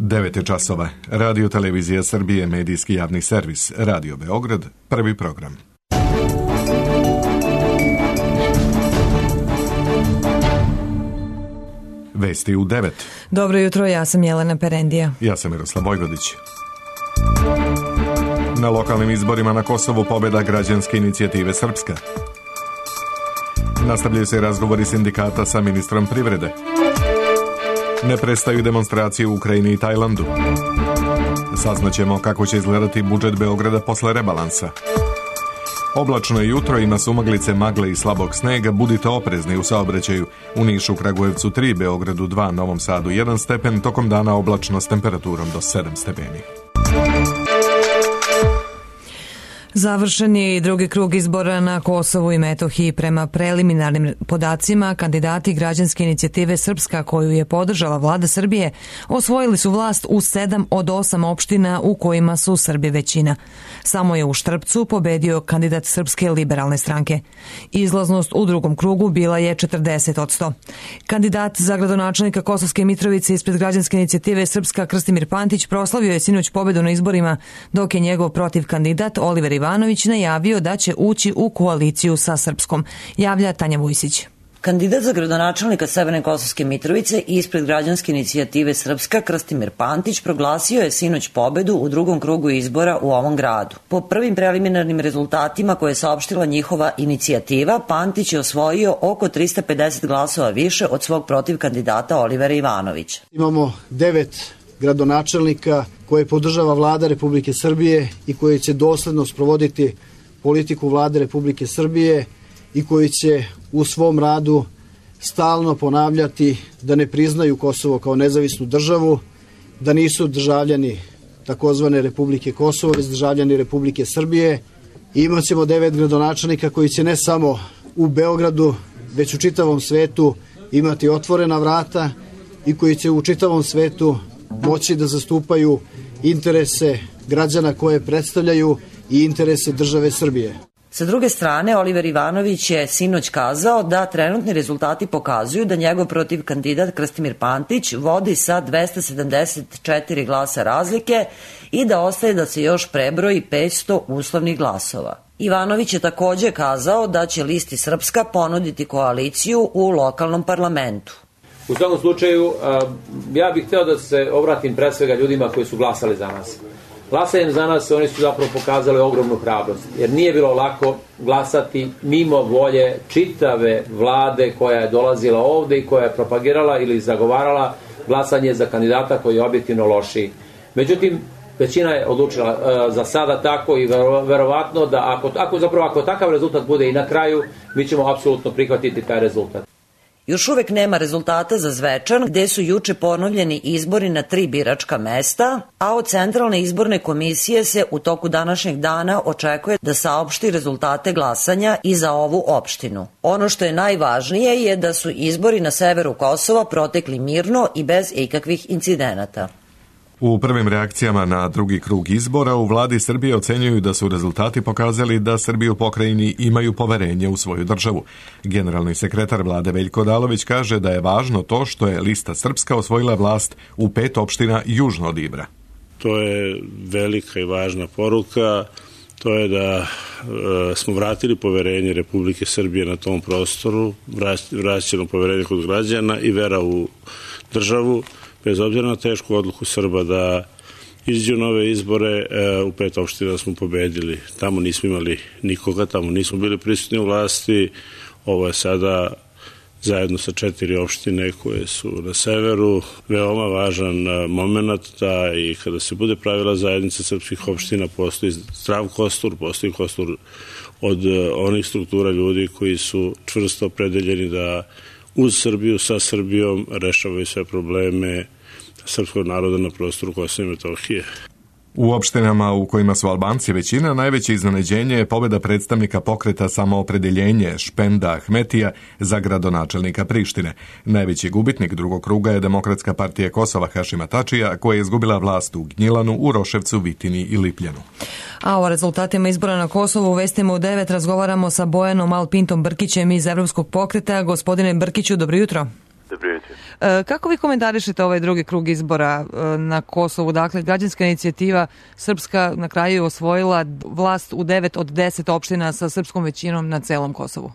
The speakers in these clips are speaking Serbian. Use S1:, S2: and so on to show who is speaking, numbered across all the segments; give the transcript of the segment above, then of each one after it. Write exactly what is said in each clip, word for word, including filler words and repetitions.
S1: devet je časova. Radio Televizija Srbije, medijski javni servis, Radio Beograd, prvi program. Vesti u devet.
S2: Dobro jutro, ja sam Jelena Perendija.
S1: Ja sam Miroslav Vojvodić. Na lokalnim izborima na Kosovu pobjeda građanske inicijative Srpska. Nastavljaju se razgovori sindikata sa ministrom privrede. Ne prestaju demonstracije u Ukrajini i Tajlandu. Saznaćemo kako će izgledati budžet Beograda posle rebalansa. Oblačno je jutro, ima sumaglice, magle i slabog snega, budite oprezni u saobraćaju. U Nišu, Kragujevcu tri, Beogradu dva, Novom Sadu jedan stepen, tokom dana oblačno s temperaturom do sedam stepeni.
S2: Završen je i drugi krug izbora na Kosovu i Metohiji. Prema preliminarnim podacima, kandidati građanske inicijative Srpska, koju je podržala vlada Srbije, osvojili su vlast u sedam od osam opština u kojima su Srbi većina. Samo je u Štrpcu pobedio kandidat Srpske liberalne stranke. Izlaznost u drugom krugu bila je četrdeset posto. Kandidat za gradonačelnika Kosovske Mitrovice ispred građanske inicijative Srpska Krstimir Pantić proslavio je sinoć pobedu na izborima, dok je njegov protiv kandidat Oliver Ivanović najavio da će ući u koaliciju sa Srpskom, javlja Tanja Vujsić.
S3: Kandidat za gradonačelnika Severne Kosovske Mitrovice ispred građanske inicijative Srpska Krstimir Pantić proglasio je sinoć pobedu u drugom krugu izbora u ovom gradu. Po prvim preliminarnim rezultatima koje je saopštila njihova inicijativa, Pantić je osvojio oko trista pedeset glasova više od svog protiv kandidata Olivera Ivanovića.
S4: Imamo devet gradonačelnika koje podržava vlada Republike Srbije i koji će dosledno sprovoditi politiku vlade Republike Srbije i koji će u svom radu stalno ponavljati da ne priznaju Kosovo kao nezavisnu državu, da nisu državljani takozvane Republike Kosovo, već državljani Republike Srbije. I imat ćemo devet gradonačelnika koji će ne samo u Beogradu, već u čitavom svetu imati otvorena vrata i koji će u čitavom svetu moći da zastupaju interese građana koje predstavljaju i interese države Srbije.
S3: Sa druge strane, Oliver Ivanović je sinoć kazao da trenutni rezultati pokazuju da njegov protiv kandidat Krstimir Pantić vodi sa dvesta sedamdeset četiri glasa razlike i da ostaje da se još prebroji petsto uslovnih glasova. Ivanović je takođe kazao da će listi Srpska ponuditi koaliciju u lokalnom parlamentu.
S5: U svakom slučaju, ja bih hteo da se obratim pre svega ljudima koji su glasali za nas. Glasanjem za nas oni su zapravo pokazali ogromnu hrabrost, jer nije bilo lako glasati mimo volje čitave vlade koja je dolazila ovde i koja je propagirala ili zagovarala glasanje za kandidata koji je objektivno lošiji. Međutim, većina je odlučila uh, za sada tako i vero, verovatno da ako, ako, zapravo, ako takav rezultat bude i na kraju, mi ćemo apsolutno prihvatiti taj rezultat.
S3: Još uvek nema rezultata za Zvečan, gde su juče ponovljeni izbori na tri biračka mesta, a od Centralne izborne komisije se u toku današnjeg dana očekuje da saopšti rezultate glasanja i za ovu opštinu. Ono što je najvažnije je da su izbori na severu Kosova protekli mirno i bez ikakvih incidenata.
S1: U prvim reakcijama na drugi krug izbora u vladi Srbije ocenjuju da su rezultati pokazali da Srbi u pokrajini imaju poverenje u svoju državu. Generalni sekretar vlade Veljko Odalović kaže da je važno to što je lista Srpska osvojila vlast u pet opština južno od Ibra.
S6: To je velika i važna poruka. To je da e, smo vratili poverenje Republike Srbije na tom prostoru, vraćeno poverenje kod građana i vera u državu, bez obzira na tešku odluku Srba da izađu nove izbore. U pet opština smo pobedili. Tamo nismo imali nikoga, tamo nismo bili prisutni u vlasti. Ovo je sada zajedno sa četiri opštine koje su na severu veoma važan moment da i kada se bude pravila zajednica srpskih opština postoji zdrav kostur, postoji kostur od onih struktura ljudi koji su čvrsto opredeljeni da uz Srbiju, sa Srbijom rešavaju sve probleme srpskog naroda na prostoru Kosova i Metohije.
S1: U opštinama u kojima su Albanci većina, najveće iznenađenje je pobeda predstavnika pokreta Samoopredeljenje Špenda Ahmetija za gradonačelnika Prištine. Najveći gubitnik drugog kruga je Demokratska partija Kosova Hašima Tačija, koja je izgubila vlast u Gnjilanu, Uroševcu, Vitini i Lipljanu.
S2: A o rezultatima izbora na Kosovu u vestima u devet razgovaramo sa Bojanom Alpintom Brkićem iz Evropskog pokreta. Gospodine Brkiću, dobro jutro.
S7: Dobro jutro.
S2: Kako vi komentarišete ovaj drugi krug izbora na Kosovu? Dakle, građanska inicijativa Srpska na kraju je osvojila vlast u devet od deset opština sa srpskom većinom na celom Kosovu.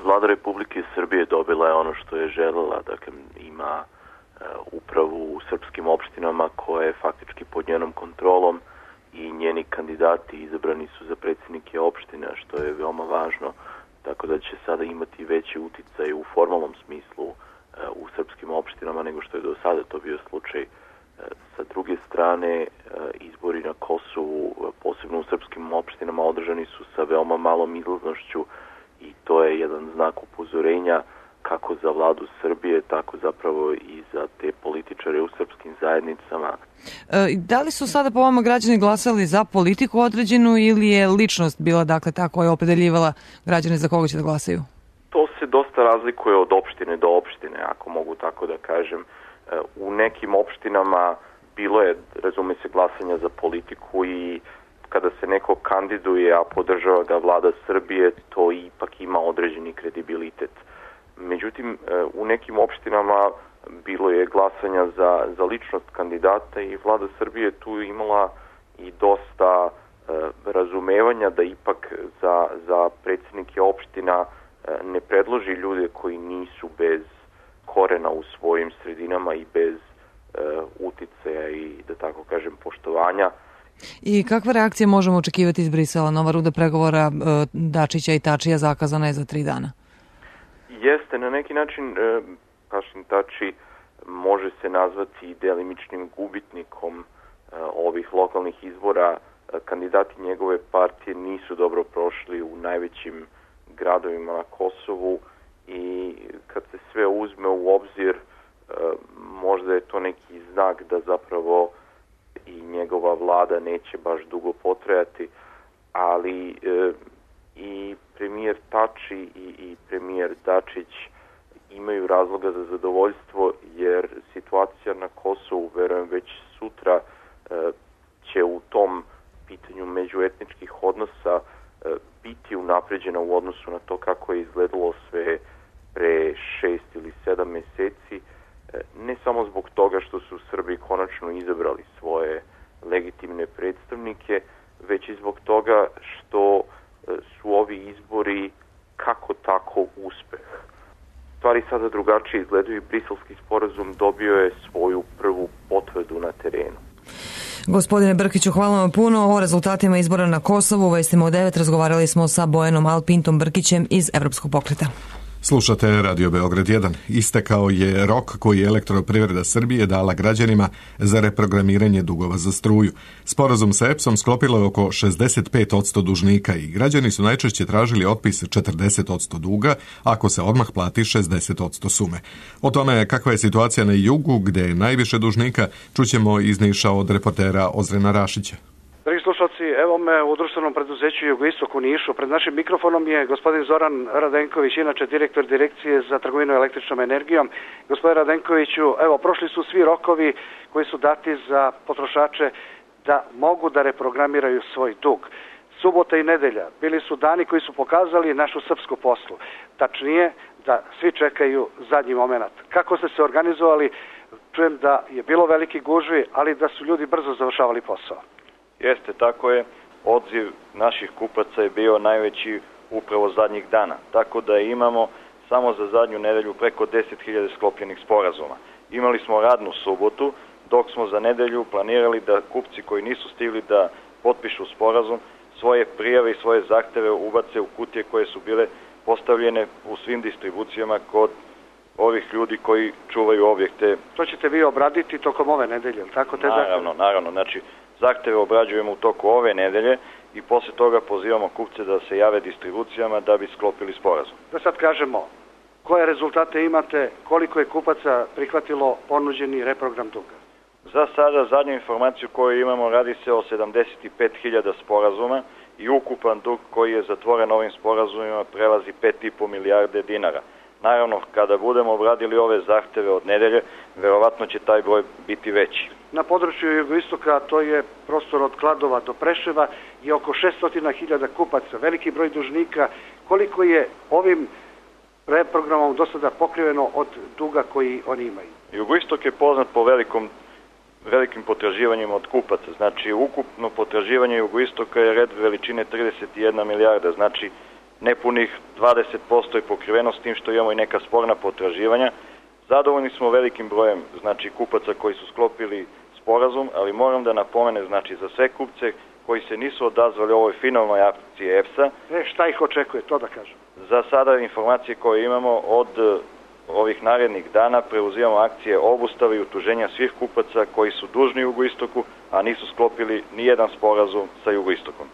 S7: Vlada Republike Srbije dobila je ono što je želela, dakle ima uh, upravu u srpskim opštinama koja je faktički pod njenom kontrolom i njeni kandidati izabrani su za predsjednike opština, što je veoma važno, tako da će sada imati veći uticaj u formalnom smislu uh, u srpskim opštinama nego što je do sada to bio slučaj. Uh, sa druge strane, uh, izbori na Kosovu, uh, posebno u srpskim opštinama, održani su sa veoma malom izlaznošću i to je jedan znak upozorenja kako za vladu Srbije, tako zapravo i za te političare u srpskim zajednicama.
S2: E, da li su sada po vama građani glasali za politiku određenu ili je ličnost bila dakle ta koja je opredeljivala građane za koga će da glasaju?
S7: To se dosta razlikuje od opštine do opštine, ako mogu tako da kažem. U nekim opštinama bilo je, razume se, glasanja za politiku i kada se neko kandiduje, a podržava ga vlada Srbije, to ipak ima određeni kredibilitet. Međutim, u nekim opštinama bilo je glasanja za, za ličnost kandidata i vlada Srbije tu imala i dosta e, razumevanja da ipak za, za predsjednike opština e, ne predloži ljude koji nisu bez korena u svojim sredinama i bez e, uticaja i, da tako kažem, poštovanja.
S2: I kakva reakcija možemo očekivati iz Brisela? Nova runda pregovora e, Dačića i Tačija zakazana je za tri dana.
S7: Jeste, na neki način e, Hašim Tači može se nazvati delimičnim gubitnikom e, ovih lokalnih izbora. E, kandidati njegove partije nisu dobro prošli u najvećim gradovima na Kosovu i kad se sve uzme u obzir, e, možda je to neki znak da zapravo i njegova vlada neće baš dugo potrajati, ali e, i premijer Tači i, i premijer Dačić imaju razloga za zadovoljstvo, jer situacija na Kosovu, verujem, već sutra e, će u tom pitanju međuetničkih odnosa e, biti unapređena u odnosu na to kako je izgledalo sve pre šest ili sedam meseci, e, ne samo zbog toga što su Srbi konačno izabrali svoje legitimne predstavnike, već i zbog toga što su ovi izbori kako tako uspeh. Stvari sada drugačije izgledaju i Briselski sporazum dobio je svoju prvu potvrdu na terenu.
S2: Gospodine Brkiću, hvala vam puno. O rezultatima izbora na Kosovu u Vestima u devet razgovarali smo sa Bojanom Alpintom Brkićem iz Evropskog pokreta.
S1: Slušate Radio Beograd jedan. Istekao je rok koji je Elektroprivreda Srbije dala građanima za reprogramiranje dugova za struju. Sporazum sa E P S-om sklopilo je oko šezdeset pet posto dužnika i građani su najčešće tražili otpis četrdeset posto duga ako se odmah plati šezdeset posto sume. O tome kakva je situacija na jugu, gde je najviše dužnika, čućemo iz Niša od reportera Ozrena Rašića.
S8: Dragi slušalci, evo me u društvenom preduzeću Jugoistok u Nišu. Pred našim mikrofonom je gospodin Zoran Radenković, inače direktor direkcije za trgovinu električnom energijom. Gospodin Radenkoviću, evo, prošli su svi rokovi koji su dati za potrošače da mogu da reprogramiraju svoj dug. Subota i nedelja bili su dani koji su pokazali našu srpsku poslu. Tačnije, da svi čekaju zadnji moment. Kako ste se organizovali? Čujem da je bilo veliki gužvi, ali da su ljudi brzo završavali posao.
S9: Jeste, tako je. Odziv naših kupaca je bio najveći upravo zadnjih dana. Tako da imamo samo za zadnju nedelju preko deset hiljada sklopljenih sporazuma. Imali smo radnu subotu, dok smo za nedelju planirali da kupci koji nisu stigli da potpišu sporazum svoje prijave i svoje zahteve ubace u kutije koje su bile postavljene u svim distribucijama kod ovih ljudi koji čuvaju objekte.
S8: To ćete vi obraditi tokom ove nedelje, tako te zahteve?
S9: Naravno, naravno. Znači, zahteve obrađujemo u toku ove nedelje i posle toga pozivamo kupce da se jave distribucijama da bi sklopili sporazum.
S8: Da sad kažemo, koje rezultate imate, koliko je kupaca prihvatilo ponuđeni reprogram duga?
S9: Za sada, zadnju informaciju koju imamo, radi se o sedamdeset pet hiljada sporazuma i ukupan dug koji je zatvoren ovim sporazumima prelazi pet i po milijarde dinara. Naravno, kada budemo obradili ove zahteve od nedelje, verovatno će taj broj biti veći.
S8: Na području jugoistoka, to je prostor od Kladova do Preševa, je oko šessto hiljada kupaca, veliki broj dužnika. Koliko je ovim reprogramom do sada pokriveno od duga koji oni imaju.
S9: Jugoistok je poznat po velikom, velikim potraživanjima od kupaca. Znači, ukupno potraživanje Jugoistoka je red veličine trideset jedna milijarda. Znači, nepunih dvadeset posto je pokriveno s tim što imamo i neka sporna potraživanja. Zadovoljni smo velikim brojem, znači, kupaca koji su sklopili sporazum, ali moram da napomene, znači, za sve kupce koji se nisu odazvali ovoj finalnoj akciji E P S-a.
S8: E, šta ih očekuje, to da kažem?
S9: Za sada informacije koje imamo od ovih narednih dana preuzimamo akcije obustave i utuženja svih kupaca koji su dužni Jugoistoku, a nisu sklopili ni jedan sporazum sa Jugoistokom.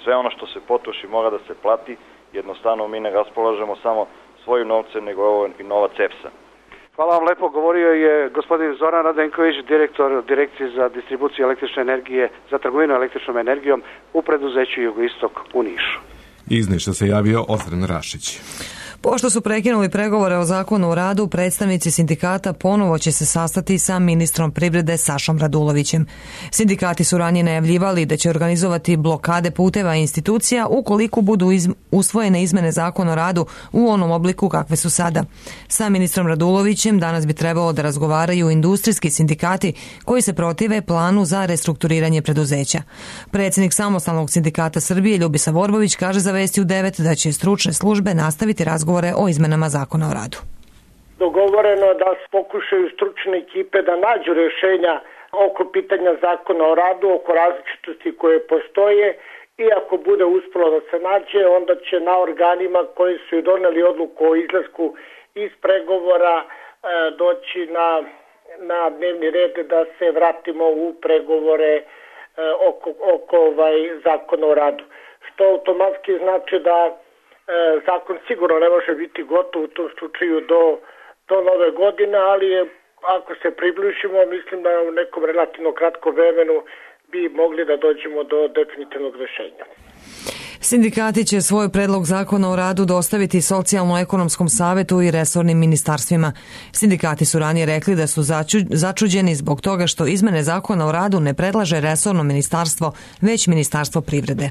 S9: Sve ono što se potroši mora da se plati, jednostavno mi ne raspolažemo samo svoju novce, nego ovo i novac E P S-a.
S8: Hvala vam lepo, govorio je gospodin Zoran Radenković, direktor Direkcije za distribuciju električne energije, za trgovinu električnom energijom u preduzeću Jugoistok u Nišu.
S1: Iz Niša se javio Ozren Rašić.
S2: Pošto su prekinuli pregovore o zakonu o radu, predstavnici sindikata ponovo će se sastati sa ministrom privrede Sašom Radulovićem. Sindikati su ranije najavljivali da će organizovati blokade puteva i institucija ukoliko budu iz, usvojene izmene zakona o radu u onom obliku kakve su sada. Sa ministrom Radulovićem danas bi trebalo da razgovaraju industrijski sindikati koji se protive planu za restrukturiranje preduzeća. Predsjednik Samostalnog sindikata Srbije Ljubisa Vorbović kaže za Vesti u devet da će stručne službe nastaviti razgovor o izmenama zakona o radu.
S10: Dogovoreno da pokušaju stručne ekipe da nađu rješenja oko pitanja zakona o radu, oko različitosti koje postoje i ako bude uspjelo da se nađe, onda će na organima koji su i doneli odluku o izlasku iz pregovora e, doći na, na dnevni red da se vratimo u pregovore e, oko, oko ovaj zakona o radu. Što automatski znači da zakon sigurno ne može biti gotov u tom slučaju do, do nove godine, ali je, ako se približimo, mislim da u nekom relativno kratkom vremenu bi mogli da dođemo do definitivnog rješenja.
S2: Sindikati će svoj predlog zakona o radu dostaviti Socijalno-ekonomskom savetu i resornim ministarstvima. Sindikati su ranije rekli da su začu, začuđeni zbog toga što izmene zakona o radu ne predlaže resorno ministarstvo, već Ministarstvo privrede.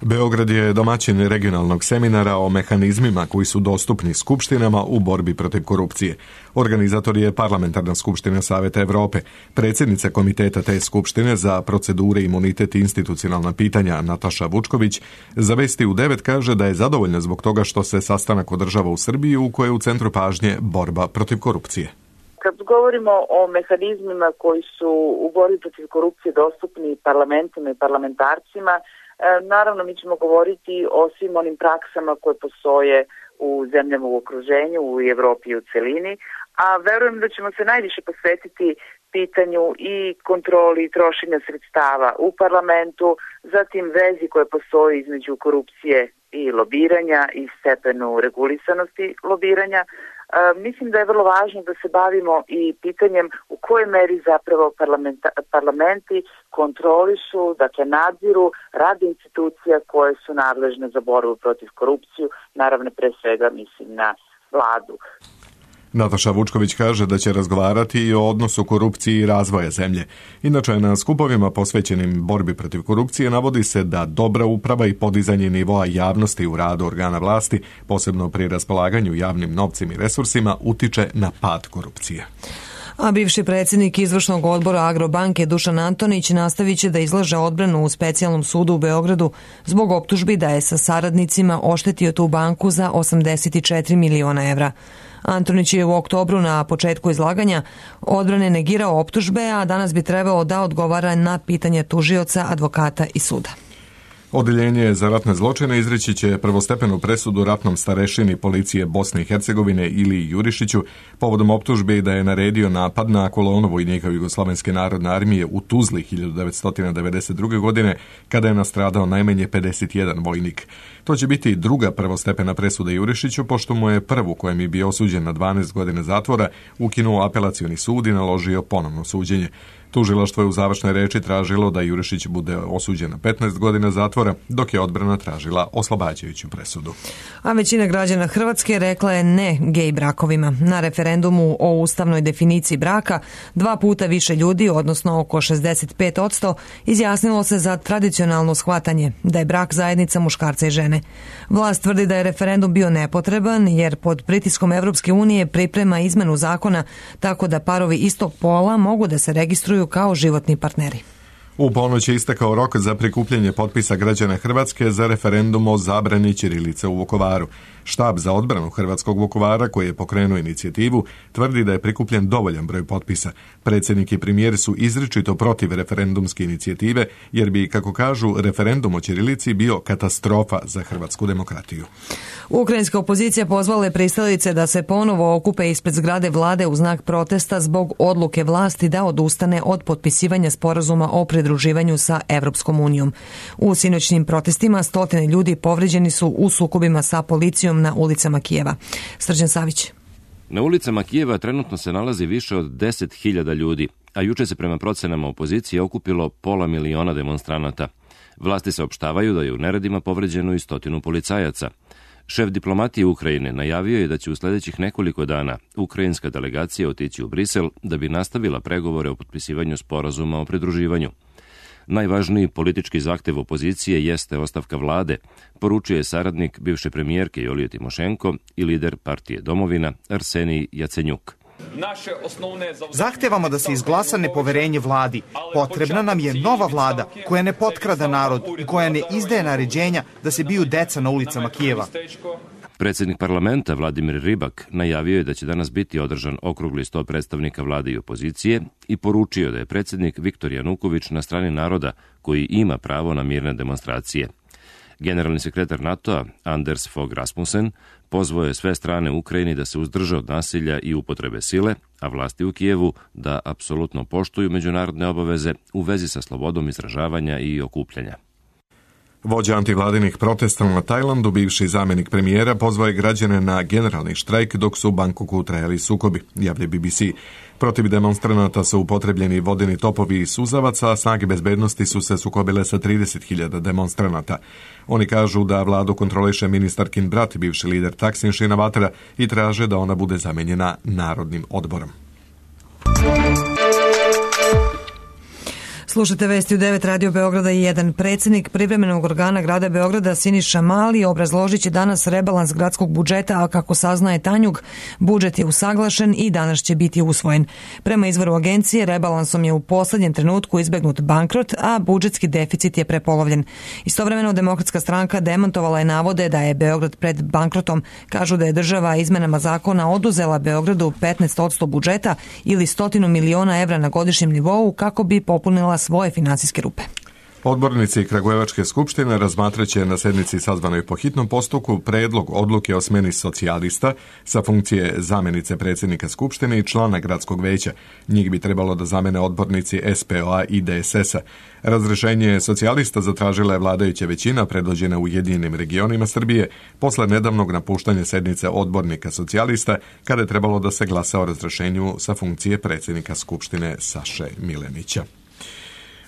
S1: Beograd je domaćin regionalnog seminara o mehanizmima koji su dostupni skupštinama u borbi protiv korupcije. Organizator je Parlamentarna skupština Saveta Evrope. Predsjednica komiteta te skupštine za procedure, imunitet i institucionalna pitanja Nataša Vučković za Vesti u devet kaže da je zadovoljna zbog toga što se sastanak održava u Srbiji u kojoj je u centru pažnje borba protiv korupcije.
S11: Kad govorimo o mehanizmima koji su u borbi protiv korupcije dostupni parlamentima i parlamentarcima, naravno, mi ćemo govoriti o svim onim praksama koje postoje u zemljama u okruženju, u Evropi i u celini, a verujem da ćemo se najviše posvetiti pitanju i kontroli trošenja sredstava u parlamentu, zatim vezi koje postoji između korupcije i lobiranja i stepenu regulisanosti lobiranja. E, mislim da je vrlo važno da se bavimo i pitanjem u kojoj meri zapravo parlamenti kontrolišu, dakle nadziru rad institucija koje su nadležne za borbu protiv korupciju, naravno pre svega mislim na vladu.
S1: Nataša Vučković kaže da će razgovarati i o odnosu korupciji i razvoja zemlje. Inače, na skupovima posvećenim borbi protiv korupcije navodi se da dobra uprava i podizanje nivoa javnosti u radu organa vlasti, posebno pri raspolaganju javnim novcem i resursima, utiče na pad korupcije.
S2: A bivši predsjednik izvršnog odbora Agrobanke Dušan Antonić nastavit će da izlaže odbranu u specijalnom sudu u Beogradu zbog optužbi da je sa saradnicima oštetio tu banku za osamdeset četiri miliona evra. Antonić je u oktobru na početku izlaganja odbrane negirao optužbe, a danas bi trebao da odgovara na pitanje tužioca, advokata i suda.
S1: Odeljenje za ratne zločine izreći će prvostepenu presudu ratnom starešini policije Bosne i Hercegovine Iliji Jurišiću povodom optužbe da je naredio napad na kolonu vojnika Jugoslovenske narodne armije u Tuzli hiljadu devetsto devedeset druge. godine, kada je nastradao najmanje pedeset jedan vojnik. To će biti druga prvostepena presuda Jurišiću, pošto mu je prvu, kojem je bio osuđen na dvanaest godina zatvora, ukinuo apelacioni sud i naložio ponovno suđenje. Tužilaštvo je u završnoj reči tražilo da Jurišić bude osuđen na petnaest godina zatvora, dok je odbrana tražila oslobađajuću presudu.
S2: A većina građana Hrvatske rekla je ne gej brakovima. Na referendumu o ustavnoj definiciji braka dva puta više ljudi, odnosno oko šezdeset pet posto, izjasnilo se za tradicionalno shvatanje da je brak zajednica muškarca i žene. Vlast tvrdi da je referendum bio nepotreban jer pod pritiskom Evropske unije priprema izmenu zakona tako da parovi istog pola mogu da se registruju kao životni partneri.
S1: U ponoć je istekao rok za prikupljanje potpisa građana Hrvatske za referendum o zabrani ćirilice u Vukovaru. Štab za odbranu Hrvatskog Vukovara, koji je pokrenuo inicijativu, tvrdi da je prikupljen dovoljan broj potpisa. Predsjednik i premijer su izričito protiv referendumske inicijative, jer bi, kako kažu, referendum o ćirilici bio katastrofa za hrvatsku demokratiju.
S2: Ukrajinska opozicija pozvala je pristalice da se ponovo okupe ispred zgrade vlade u znak protesta zbog odluke vlasti da odustane od potpisivanja sporazuma o pridruživanju sa Evropskom unijom. U sinoćnim protestima stotine ljudi povređeni su u sukobima sa policijom na ulicama Kijeva. Srđan Savić.
S12: Na ulicama Kijeva trenutno se nalazi više od deset hiljada ljudi, a juče se prema procenama opozicije okupilo pola miliona demonstranata. Vlasti saopštavaju da je u neredima povređeno i stotinu policajaca. Šef diplomatije Ukrajine najavio je da će u sljedećih nekoliko dana ukrajinska delegacija otići u Brisel da bi nastavila pregovore o potpisivanju sporazuma o pridruživanju. Najvažniji politički zahtev opozicije jeste ostavka vlade, poručuje saradnik bivše premijerke Julije Timošenko i lider partije Domovina Arsenij Jacenjuk.
S13: Zahtevamo da se izglasa nepoverenje vladi. Potrebna nam je nova vlada koja ne potkrada narod i koja ne izdaje naređenja da se biju deca na ulicama Kijeva.
S12: Predsjednik parlamenta Vladimir Ribak najavio je da će danas biti održan okrugli sto predstavnika vlade i opozicije i poručio da je predsjednik Viktor Januković na strani naroda koji ima pravo na mirne demonstracije. Generalni sekretar NATO-a Anders Fogh Rasmussen pozvao je sve strane u Ukrajini da se uzdrže od nasilja i upotrebe sile, a vlasti u Kijevu da apsolutno poštuju međunarodne obaveze u vezi sa slobodom izražavanja i okupljanja.
S1: Vođa antivladinih protesta na Tajlandu, bivši zamjenik premijera, pozvao je građane na generalni štrajk dok su u Bangkoku trajali sukobi, javlja B B C. Protiv demonstranata su upotrebljeni vodeni topovi i suzavaca, a snage bezbednosti su se sukobile sa trideset hiljada demonstranata. Oni kažu da vladu kontroliše ministarkin brat, bivši lider Taksin Shinawatra, i traže da ona bude zamenjena Narodnim odborom.
S2: Slušajte vesti u devet Radio Beograda i jedan. Predsjednik privremenog organa grada Beograda Siniša Mali obrazložit će danas rebalans gradskog budžeta, a kako saznaje Tanjug, budžet je usaglašen i danas će biti usvojen. Prema izvoru agencije, rebalansom je u posljednjem trenutku izbegnut bankrot, a budžetski deficit je prepolovljen. Istovremeno Demokratska stranka demantovala je navode da je Beograd pred bankrotom. Kažu da je država izmenama zakona oduzela Beogradu petnaest posto budžeta ili stotinu miliona evra na godišnjem nivou kako bi popunila svoje finansijske rupe.
S1: Odbornici Kragujevačke skupštine razmatraće na sednici sazvanoj po hitnom postupku predlog odluke o smjeni socijalista sa funkcije zamjenice predsjednika skupštine i člana gradskog veća. Njih bi trebalo da zamene odbornici S P O A i D S S-a. Razrešenje socijalista zatražila je vladajuća većina predvođena Ujedinjenim regionima Srbije posle nedavnog napuštanja sednice odbornika socijalista kada je trebalo da se glasa o razrešenju sa funkcije predsjednika skupštine Saše Milenića.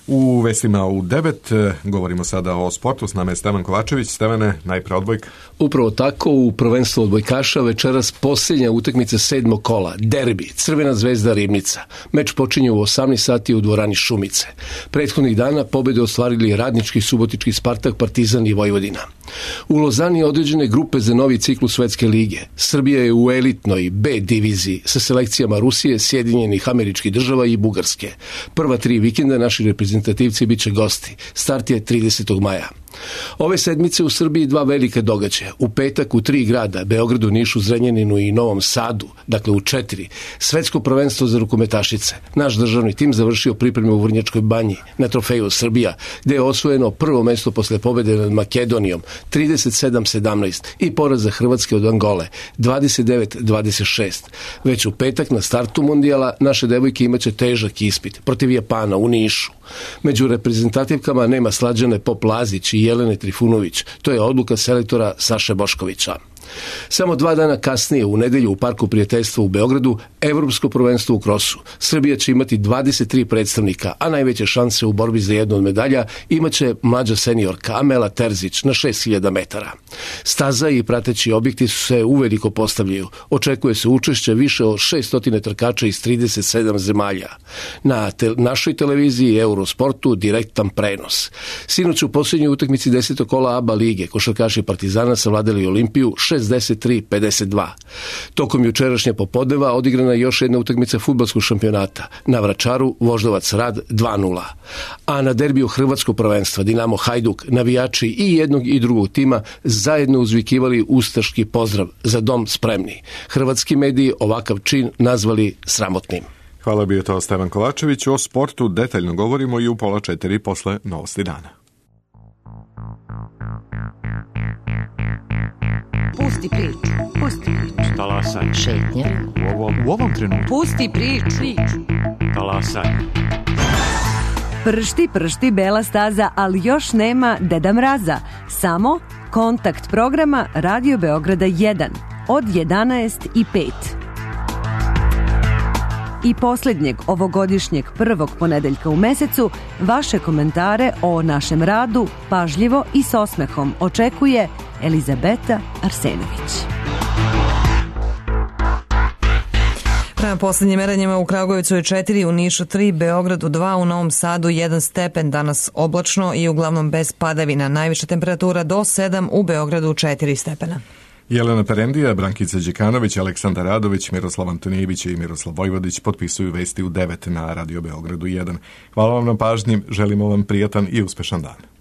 S1: U vestima u devet govorimo sada o sportu. S nama je Stevan Kovačević. Stevane, najpre odbojka.
S14: Upravo tako, u prvenstvu odbojkaša večeras posljednja utakmica sedmog kola, derbi, Crvena zvezda Ribnica. Meč počinje u osamnaest sati u dvorani Šumice. Prethodnih dana pobjede ostvarili Radnički, Subotički, Spartak, Partizan i Vojvodina. U Lozani određene grupe za novi ciklus Svetske lige. Srbija je u elitnoj B diviziji sa selekcijama Rusije, Sjedinjenih Američkih Država i Bugarske. Prva tri vikenda naši reprezentativci bit će gosti. Start je tridesetog maja. Ove sedmice u Srbiji dva velike događaja. U petak u tri grada, Beogradu, Nišu, Zrenjaninu i Novom Sadu, dakle u četiri, svetsko prvenstvo za rukometašice. Naš državni tim završio pripreme u Vrnjačkoj banji na trofeju Srbija, gde je osvojeno prvo mesto posle pobjede nad Makedonijom trideset sedam sedamnaest i poraza Hrvatske od Angole dvadeset devet dvadeset šest. Već u petak na startu mondijala naše devojke imaće težak ispit protiv Japana u Nišu. Među reprezentativkama nema Slađane Pop Lazić i Jelene Trifunović. To je odluka selektora Saše Boškovića. Samo dva dana kasnije, u nedelju u Parku prijateljstva u Beogradu, Evropsko prvenstvo u krosu. Srbija će imati dvadeset tri predstavnika, a najveće šanse u borbi za jednu od medalja imaće mlađa seniorka Amela Terzić na šest hiljada metara. Staza i prateći objekti se uveliko postavljaju. Očekuje se učešće više od šessto trkača iz trideset sedam zemalja. Na te, našoj televiziji Eurosportu direktan prenos. Sinoć u posljednjoj utakmici desetog kola A B A lige košarkaši Partizana savladali Olimpiju šezdeset tri pedeset dva. Tokom jučerašnje popodneva odigrana je još jedna utakmica fudbalskog šampionata. Na Vračaru Voždovac Rad dva nula. A na derbiju hrvatskog prvenstva Dinamo Hajduk navijači i jednog i drugog tima zajedno uzvikivali ustaški pozdrav za dom spremni. Hrvatski mediji ovakav čin nazvali sramotnim.
S1: Hvala, bio to Stevan Kovačević. O sportu detaljno govorimo i u pola četiri posle Novosti dana.
S15: Pusti priču, pusti priču.
S16: Talasaj.
S15: Šetnja.
S16: U ovom, u ovom trenutku.
S15: Pusti priču. priču.
S16: Talasaj.
S15: Pršti, pršti bela staza, ali još nema Deda Mraza. Samo kontakt programa Radio Beograda jedan od jedanaest i pet. I posljednjeg ovogodišnjeg prvog ponedeljka u mesecu vaše komentare o našem radu pažljivo i s osmehom očekuje Elizabeta Arsenović.
S2: Prema posljednjim merenjima u Kragujevcu je četiri, u Nišu tri, Beogradu dva, u Novom Sadu jedan stepen, danas oblačno i uglavnom bez padavina. Najviša temperatura do sedam, u Beogradu četiri stepena.
S1: Jelena Perendija, Brankica Đekanović, Aleksandar Radović, Miroslav Antonijević i Miroslav Vojvodić potpisuju vesti u devet na Radio Beogradu jedan. Hvala vam na pažnji, želimo vam prijatan i uspešan dan.